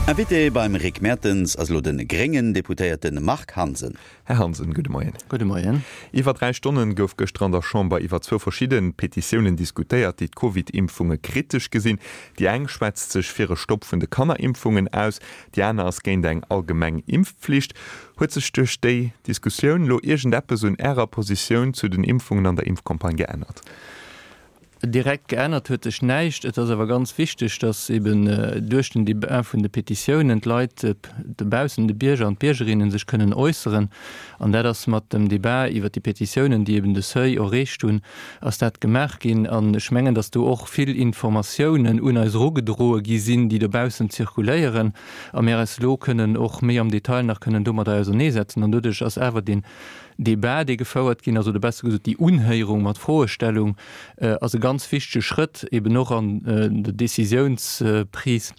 Invité beim Rick Mertens ass elo de gréngen Deputéierte Marc Hansen. Här Hansen, gudde Moien. Gudde Moien. Iwwer 3 Stonne gouf gëschter an der Chamber iwwer zwou verschidde Petitiounen diskutéiert, déi d'Covid-Impfunge kritesch gesinn. Déi eng schwätzt sech fir e Stopp vun de Kannerimpfungen aus, déi aner ass géint eng allgemeng Impfpflicht. Huet sech duerch déi Diskussioun lo iergendeppes un Ärer Positioun zu den Impfungen an der Impfcampagne geännert? Direkt geännert huet sech näischt. Et ass awer ganz wichteg, datt eben duerch den Debat vun de Petitiounen d'Leit dobaussen, de Bierger an d'Biergerinnen, sech kënnen äusseren. An dat ass mat dem Debat iwwert déi Petitiounen, déi eben de Seuil erreecht hunn, ass dat gemaach ginn. An ech mengen, datt do och vill Informatiounen un eis erugedroe gi sinn, déi dobaussen zirkuléieren, a mir eis elo kënnen och méi am Detail nach kënnen domadder auserneesetzen. An doduerch ass awer deen Debat, dee gefouert ginn ass, oder besser gesot déi Unhéierung mat Froestellung, ass e ganz wichtege Schrëtt eben och an der Décisiounsprise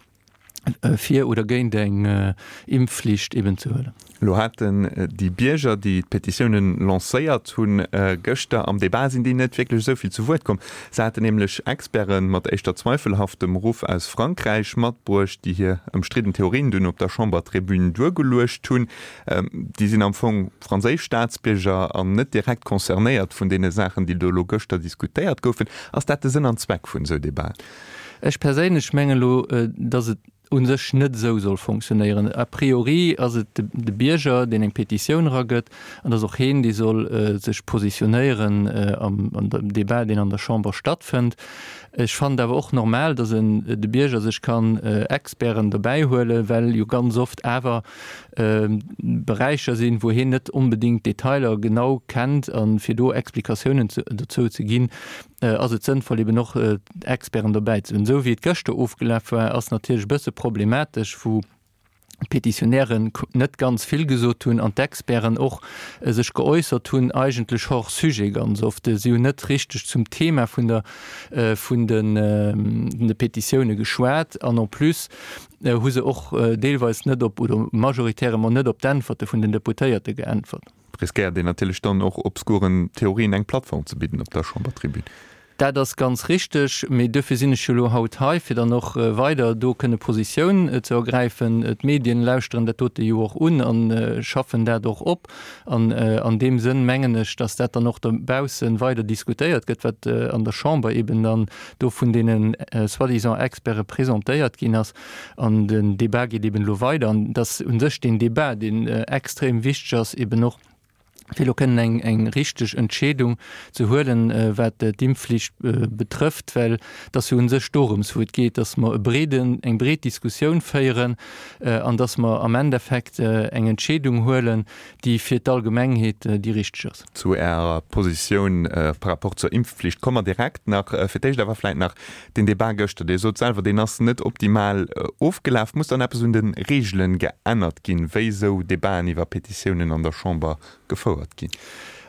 fir oder géint eng Impfflicht eben ze huelen. Elo haten déi Bierger, déi d'Petitiounen lancéiert hunn, gëschter am Debat sinn déi net wierklech esou vill zu Wuert komm. Se haten nämlech Experte mat éischter zweifelhaftem Ruff aus Frankräich matbruecht, déi hir ëmstridden Theorien dunn op der Chambertribün duergeluecht hunn. Déi sinn am Fong franséisch Staatsbierger an net direkt concernéiert vun deene Saachen, déi do elo gëschter diskutéiert goufen. Ass dat de Sënn an Zweck vun esou Debaten? Ech perséinlech mengen elo, datt et u sech net esou soll fonctionnéieren. A priori ass et de Bierger, deen eng Petitioun eragëtt, an et ass och heen, dee soll sech positionéieren am Debat, deen an der Chamber stattfënnt. Ech fannen et awer och normal, datt de Bierger sech kann Experten dobäihuelen, well jo ganz oft awer Beräicher sinn, wou hien net onbedéngt d'Detailer genau kennt a fir do Explikatiounen dozou ze ginn, ass et sënnvoll eben och Experten dobäi ze hunn. Esou wéi et gëschter ofgelaf war, ass natierlech e bësse problematesch, wou d'Petitionären net ganz vill gesot hunn an d'Experten och sech geäussert hunn, eigentlech hors sujet ganz oft. Si hunn net richteg zum Thema vun der vun de Petitioune geschwat an en plus hu se och deelweis net op, oder majoritairement net op d'Äntwerte vun den Deputéierte geäntwert. Riskéiert een natierlech dann och obskuren Theorien eng Plattform ze bidden op der Chambertribün. Dat ass ganz richteg, mee duerfir sinn ech jo elo haut hei, fir dann och weider do kënne Positioun ze ergräifen. D'Medien lauschteren dat dote jo och un a schaffen dat och op. An an deem Sënn mengen ech, dass dat dann och dobausse weider diskutéiert gëtt, wat an der Chamber eben dann do vun deene soi-disant Experte presentéiert ginn ass. An den Débat geet eben elo weider. An dass u sech deen Débat, deen extrem wichteg ass, eben och fir elo kënnen eng, eng richteg Entscheedung ze huelen, wat d'Impfflicht betrëfft, well et ass jo u sech dorëms, wou et geet, dass mer e breeden, eng breet Diskussioun féieren, an dass mer am Endeffekt eng Entscheedung huelen, déi fir d'Allgemengheet déi richteg ass. Zu Ärer Positioun par rapport zur Impfflicht komme mer direkt nach. Fir d'éischt awer vläit nach den Debat gëschter. Dir sot selwer, deen ass net optimal ofgelaf. Muss dann eppes un de Reegelen geännert ginn, wéi esou Debaten iwwer Petitiounen an der Chamber gefouert ginn?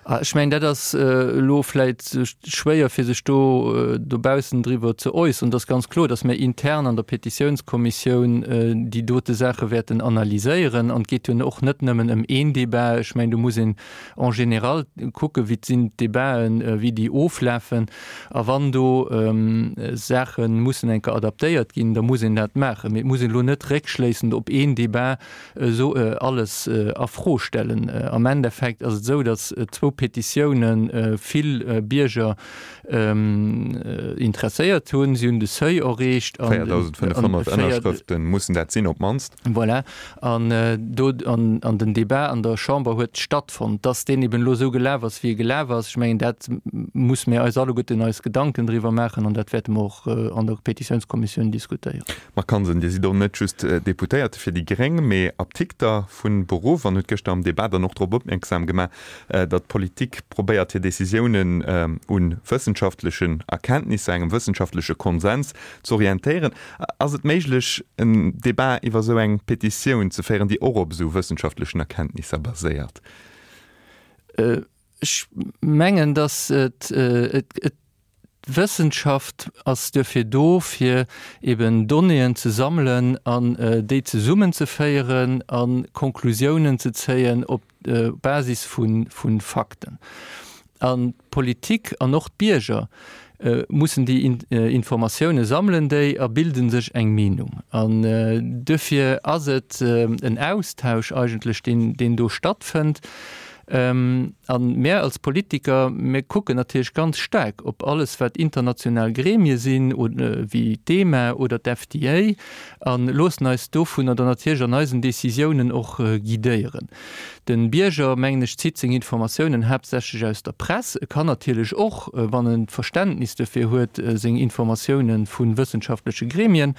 Ech mengen, dat ass elo vläit schwéier, fir sech do dobaussen driwwer ze äusseren. Et ass ganz kloer, datt mir intern an der Petitiounskommissioun déi dote Saache wäerten analyséieren. An et geet jo och net nëmmen ëm een Debat. Ech mengen, do muss een en général kucken, wéi sinn d'Debaten, wéi déi oflafen. A wann do Saache mussen eng Kéier adaptéiert ginn, da muss een dat maachen. Mee et muss een elo net réckschléissend op een Debat esou alles a Fro stellen. Am Endeffekt ass et esou, datt zwou Petitioune vill Bierger interesséiert hunn. Si hunn de Seuil erreecht. 4.500 Ënnerschrëfte mussen dat sinn op d'mannst. Voilà. An do, an den Debat an der Chamber huet stattfonnt. Datt deen eben elo esou gelaf ass, wéi e gelaf ass, ech mengen, dat musse mir eis alleguerten eis Gedanken driwwer maachen an dat wäerte mer och an der Petitiounskommissioun diskutéieren. Marc Hansen, Dir sidd och net just Deputéierte fir déi gréng, mee Aptikter vu Beruff an hutt gëschter am Debat dann och drop opmierksam gemaach, datt d'Politik probéiert hir Decisiounen u wëssenschaftlechen Erkenntnisser, engem wëssenschaftleche Konsens z'orientéieren. Ass et méiglech en Debat iwwer esou eng Petitioun ze féieren, déi och op esou wëssenschaftlechen Erkenntnisser baséiert? Ech mengen, datt et, et, D'Wëssenschaft ass duerfir do, fir eben Donnéeën ze sammelen an déi zesummenzeféieren a Konklusiounen ze zéien op Basis vu Fakten. An d'Politik an och d'Bierger. Mussen déi Informatioune sammelen déi a bilden sech eng Meenung. An duerfir ass et en Austausch eigentlech, deen, deen do stattfënnt. A mär als Politiker, mir kucken natierlech ganz staark op alles, wat international Gremie sinn, wéi d'EMA oder d'FDA, a loossen eis dovunner dann natierlech an eisen Décisiounen och guidéieren. De Bierger, mengen ech, zitt seng Informatiounen haaptsächlech aus der Press. E kann natierlech och, wann en d'Verständnis dofir huet, seng Informatiounen vu wëssenschaftleche Gremien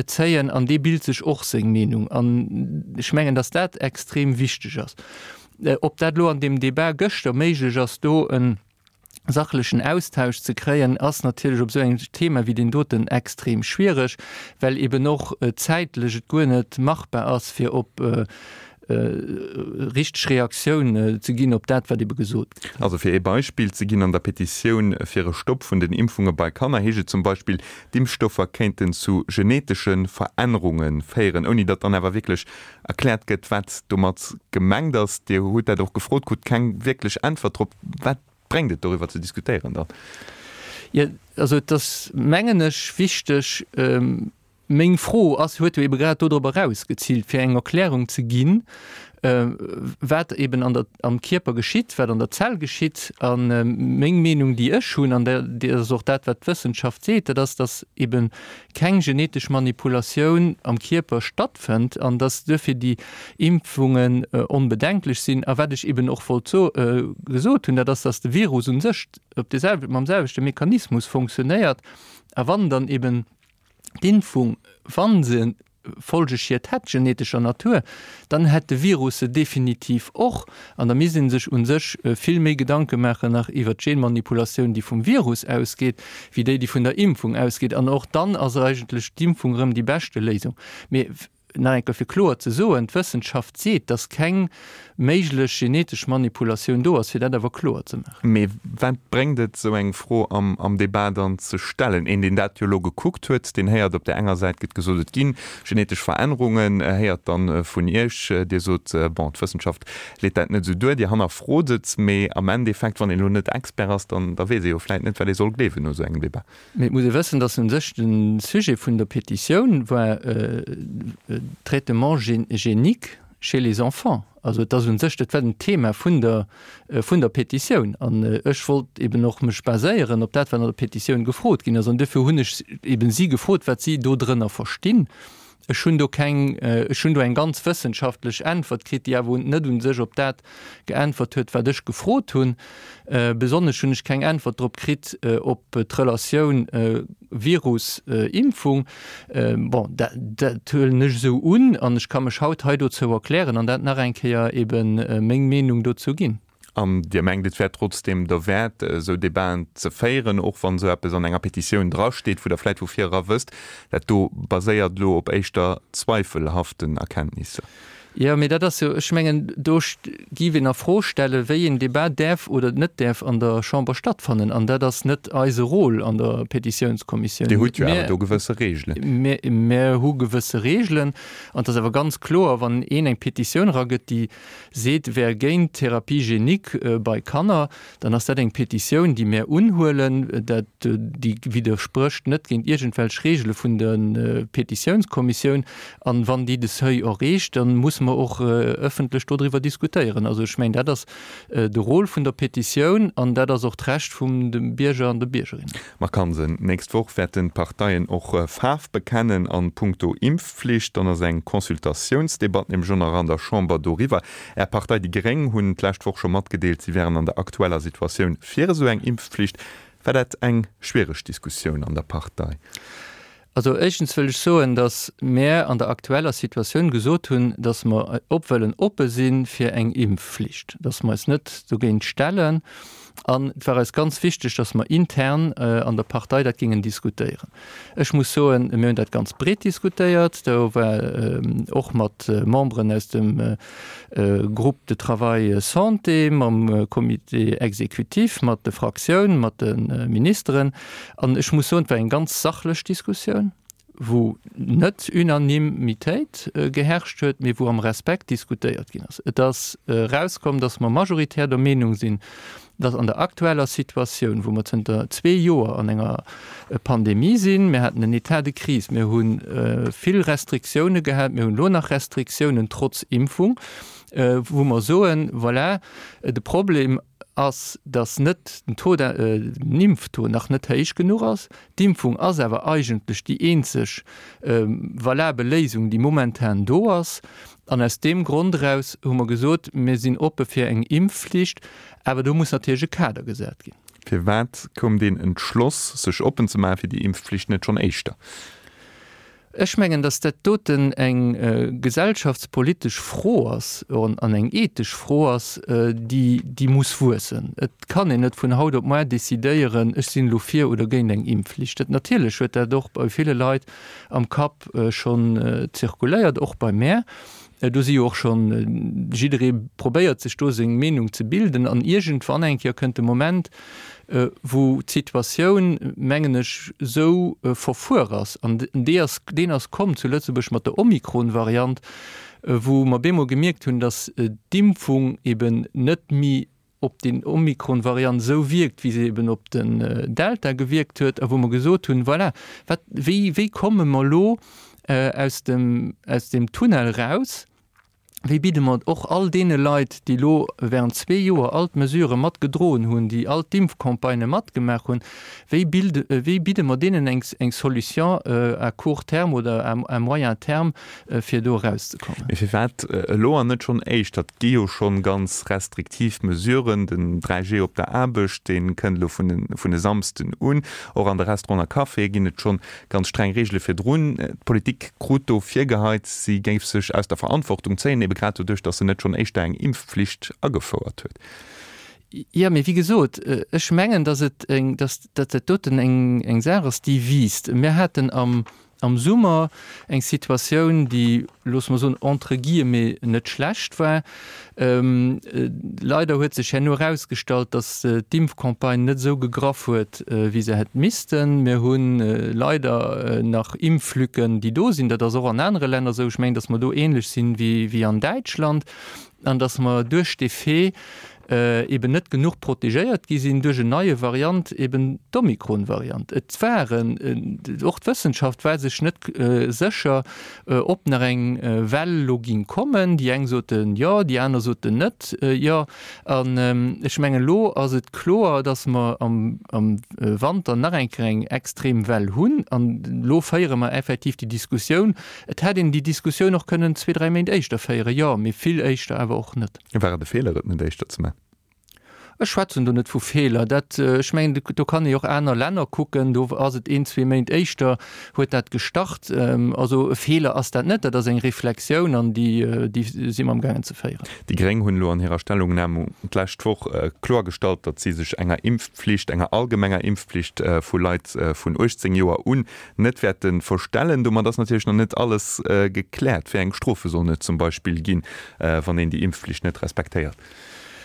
zéien an dee bilt sech och seng Meenung. An ech mengen, datt dat extrem wichteg ass. Ob dat elo an deem Debat gëschter méiglech ass, do e sachlechen Austausch ze kréien, ass natierlech op esou engem Thema wéi deen doten extrem schwiereg, well eben och zäitlech et guer net machbar ass, fir op richteg Reaktioun ze ginn op dat, wat ebe gesot gëtt. Also fir ee Beispill ze ginn, An der Petitioun fir e Stopp vun den Impfunge bei Kanner heescht et zum Beispill, d'Impfstoffer kéinten zu genetesche Verännerunge féieren, ouni datt dann awer wierklech erkläert gëtt, wat domat gemengt ass. Dir hutt dat och gefrot, krut keng wierklech Äntwert drop. Wat bréngt et, doriwwer ze diskutéieren dann? Jo, also et ass, mengen ech, wichteg, meng Fro ass, huet jo ebe grad dodrop erausgeziilt, fir eng Erklärung ze ginn, wat eben an der, am Kierper geschitt, wat an der Zell geschitt. A meng Meenung, déi ech hunn, an dat ass och dat, wat d'Wëssenschaft seet, dat ass, datt eben keng genetesch Manipulatioun am Kierper stattfënnt an dass duerfir déi Impfungen onbedenklech sinn. A wat ech eben och wollt so gesot hunn, dat ass, dass de Virus u sech op de selwe mam selwechte Mechanismus funktionéiert a wann dann eben d'Impfung, wa se Folgeschied hätt genetescher Natur, dann hätt de Virus se definitiv och. An da misst ee sech u sech vill méi Gedanke maachen nach iwwert d'Genmanipulatioun, déi vum Virus ausgeet, wéi déi, déi vun der Impfung ausgeet. An och dann ass eigentlech d'Impfung erëm déi beschte Léisung. Mee nach eng Kéier fir kloer ze soen, D'Wëssenschaft seet, dass keng méiglech genetesch Manipulatioun do ass, fir dat awer kloer ze maachen. Mee wat bréngt et, esou eng Fro am Debat dann ze stellen? Een, deen dat jo elo gekuckt huet, deen héiert, op där enger Säit gëtt gesot, et gi genetesch Verännerungen, héiert dann vun Iech, Dir sot, bon, d'Wëssenschaft leet dat net esou duer, Dir hannerfrot et, mee am Endeffekt, wann een elo net Expert ass, dann da weess ee jo vläit net, wat ee soll gleewen no esou engem Debat. Mee et muss ee wëssen, datt u sech de Sujet vun der Petitioun war Traitement génique chez les enfants. Also et ass u sech, dat war den Thema vun der, vun der Petitioun. An ech wollt eben och mech baséieren op dat, wat an der Petitioun gefrot ginn ass. An duerfir hunn ech eben si gefrot, wat si dodrënner verstinn. Ech hunn do keng, ech hunn do eng ganz wëssenschaftlech Äntwert kritt, déi awer net u sech op dat geäntwert huet, wat ech gefrot hunn. Besonnesch hunn ech keng Äntwert drop kritt, op d'Relatioun Virus-Impfung. Bon, dat, dat huelen ech esou un an ech ka mech haut hei dozou erklären an dat nach eng Kéier ebe meng Meenung dozou ginn. An Dir mengt, et wär trotzdeem derwäert, esou Debaten ze féieren, och wann esou eppes an enger Petitioun drasteet, wou Der vläicht vu vir era wësst, dat do baséiert elo op éischter zweifelhaften Erkenntnisser? Jo, mee dat ass jo, ech mengen, do géif een a Fro stellen, wéi een Debat däerf oder net däerf an der Chamber stattfannen. An dat ass net eise Rôle an der Petitiounskommissioun. Dir hutt jo awer do gewësse Reegelen. Mir hu gewësse Reegelen. An et ass awer ganz kloer, wann een eng Petitioun eragëtt, déi seet, wär géint d'Thérapie génique bei Kanner, dann ass dat eng Petitioun, déi mär unhuelen. Dat, déi widdersprécht net géint iergendwelch Regele vun der Petitiounskommissioun. An wann déi de Seuil erreecht, da musse mer och ëffentlech dodriwwer diskutéieren. Also ech mengen, dat ass de Rôle vun der Petitioun an dat ass och d'Recht vum de Bierger an de Biergerinnen. Marc Hansen, D'nächst Woch wäerten d'Parteien och Faarf bekennen an punkto Impfflicht. Dann ass eng Consultatiounsdebatt nämlech och nach an der Chamber doriwwer. Är Partei déi Gréng hunn d'lescht Woch scho matgedeelt, si wären an der aktueller Situatioun fir esou eng Impfflicht. War dat eng schwiereg Diskussioun an der Partei? Also éischtens wëll ech soen, datt mär an der aktueller Situatioun gesot hunn, datt mer op wëllen oppe si fir eng Impfflicht, datt mer eis net dogéint stellen. An et war eis ganz wichteg, datt mer intern an der Partei dat géingen diskutéieren. Ech muss soen, mir hunn dat ganz breet diskutéiert. Do war och mat Memberen aus dem Groupe de travail santé, mam Comité exécutif, mat de Fraktioun, mat de Ministeren. An ech muss soen, et war eng ganz sachlech Diskussioun, wou net Unanimitéit geherrscht huet, mee wou am Respekt diskutéiert ginn ass. Et ass erauskomm, datt mer majoritär der Meenung sinn, dass an der aktueller Situatioun, wou mer zënter zwee Joer an enger Pandemie sinn, mir haten en État de crise, mir hu vill Restriktioune gehat, mir hunn elo nach Restriktiounen trotz Impfung, wou mer soen, voilà, de Problem ass, dass net den Taux, den Impftaux nach net héich genuch ass. D'Impfung ass awer eigentlech déi eenzeg valabel Léisung, déi momentan do ass. An aus deem Grond eraus hu mer gesot, mir sinn oppe fir eng Impfflicht, awer do muss natierlech e Kader gesat ginn. Firwat koum deen Entschloss, sech oppen ze maache fir déi Impfflicht, net schonn éischter? Ech mengen, datt dat doten eng gesellschaftspolitesch Fro ass an eng ethesch Fro ass, déi, déi muss wuessen. Et kann een net vun haut op muar decidéieren, ech sinn elo fir oder géint eng Impfflicht. Dat natierlech huet dat och bei ville Leit am Kapp schonn zirkuléiert, och bei mär. Do si jo och schonn, jidderee probéiert sech do seng Meenung ze bilden an iergendwann eng Kéier kënnt de Moment, wou d'Situatioun, mengen ech, esou verfuer ass, an dee ass, deen ass komm zu Lëtzebuerg mat der Omikron-Variant, wou mer bemol gemierkt hunn, datt d'Impfung eben net méi op déi Omikron-Variant esou wierkt, wéi se eben op den Delta gewierkt huet, a wou mer gesot hunn, voilà, wat, wéi, wéi komme mer elo aus dem, aus deem Tunnel eraus, wéi bidde mer och all deene Leit, déi elo während zwee Joer all d'Mesurë mat gedroen hunn, déi all d'Impfcampagnë matgemaach hunn, wéi bilde, wéi bidde mer deenen eng, eng Solution à court terme oder à, à moyen terme, fir do erauszekommen. Mee firwat elo an net schonn éischter? Et gi jo schonn ganz restriktiv Mesuren. Den 3G op der Aarbecht, dee kënnt elo vun e Samsden un. Och an de Restauranten a Caféë ginn et schonn ganz streng Reegele virdrun. D'Politik krut do virgeheit, si géif sech aus der Verantwortung zéien, ebe grad doduerch, datt se net schonn éischter eng Impfflicht agefouert huet. Jo, mee wéi gesot, ech mengen, datt et eng, datt dat doten eng Saach ass, déi wiisst. Mir haten am Am Summer eng Situatioun, déi, loosse mer soen, entre guillemets net schlecht war. Leider huet sech herno erausgestallt, datt d'Impfcampagne net esou gegraff huet, wéi se hätt missten. Mir hu leider nach Impflücken, déi do sinn. Dat ass och an anere Länner esou. Ech mengen, datt mer do ähnlech sinn wéi an Däitschland an datt mer duerch dee Fait, eben net genuch protegéiert gi sinn duerch en neie Variant, eben d'Omikron-Variant. Et waren, och d'Wëssenschaft war sech net sécher, ob nach eng Well elo ging kommen. Déi eng soten jo, déi aner soten net jo. An ech mengen, elo ass et kloer, datt mer am Wanter nach eng Kéier eng extrem Well hunn. An elo féiere mer effektiv déi Diskussioun. Et hätt een déi Diskussioun och kënnen zwee, dräi Méint éischter féieren, jo, mee vill éischter awer och net. War et e Feeler, et net éischter ze man? Ech schwätzen do net vu Feeler. Dat, ech mengen, do kann ee jo och aner Länner kucken, do ass et een, zwee Méint éischter huet dat gestart. Also e Feeler ass dat net, dat ass eng Reflexioun an déi, déi si mer amgaangen ze féieren. Déi Gréng hunn elo an hirer Stellungnam d'lescht Woch kloergestallt, datt si sech enger Impfpflicht, enger allgemenger Impfpflicht vu Leit vun 18 Joer un net wäerte verstellen. Domat ass natierlech nach net alles gekläert. Wéi eng Strofe sollen et zum Beispill ginn, wann een déi Impfflicht net respektéiert?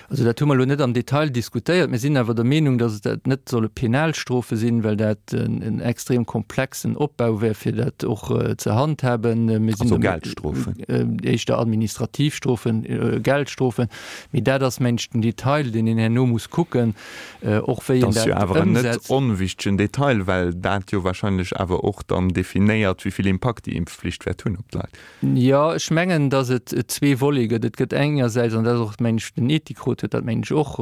Also dat hu mer elo net am Detail diskutéiert. Mir sinn awer der Meenung, datt et dat net solle Penalstrofe sinn, well dat en extrem komplexen Opbau wär, fir dat och ze handhaben. Mir sinn Also Geldstrofen? Éischter administrativ Strofen, Geldstrofen. Mee dat ass, mengen ech, den Detail, deen een herno muss kucken. Och wéi een dat ëmsetzt. Dat ass jo awer en net onwichtegen Detail, well dat jo wahrscheinlech awer och dann definéiert, wéi vill Impakt déi Impfflicht wäert hunn op d'Leit. Jo, ech mengen, datt et zwee Volete gëtt. Et gëtt engersäits, an dat ass och, mengen ech, den Ethikrot huet dat, mengen ech, och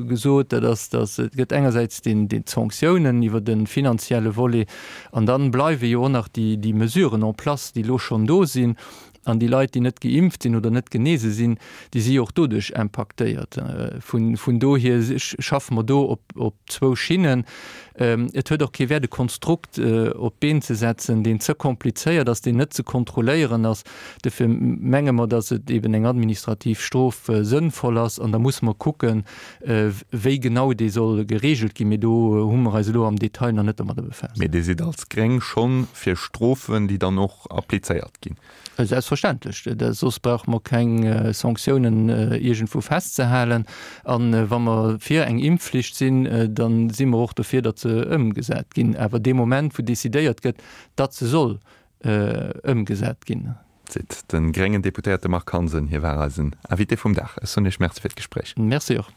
gesot, dat ass, datt et gëtt engersäits deen, deen d'Sanktiounen iwwer de finanzielle Volet, an dann bleiwe jo och nach déi, déi Mesuren en place, déi elo schonn do sinn. An déi Leit, déi net geimpft sinn oder net genese sinn, déi si jo och doduerch impaktéiert. Vun dohier schaffe mer do op zwou Schinnen. Et huet och kee Wäert, e Konstrukt op d'Been ze setzen, deen ze komplizéiert ass, deen net ze kontrolléieren ass. Dofir menge mer, datt et eben eng administrativ Strof sënnvoll ass. An da musse mer kucken, wéi genau déi soll geregelt ginn. Mee do hu mer eis elo am Detail nach net domadder befaasst. Mee Dir sidd als Gréng schonn fir Strofen, déi dann och applizéiert ginn? Selbstverständlech, soss brauche mer keng Sanktiounen iergendwou festzehalen. A wa mer fir eng Impfflicht sinn, da si mer och dofir, datt se ëmgesat ginn. Awer dee Moment, wou decidéiert gëtt, datt se soll ëmgesat ginn. Seet de gréngen Deputéierte Marc Hansen. Hie war eisen Invité vum Dag. Ech soen Iech Merci fir d'Gespréich. Merci och.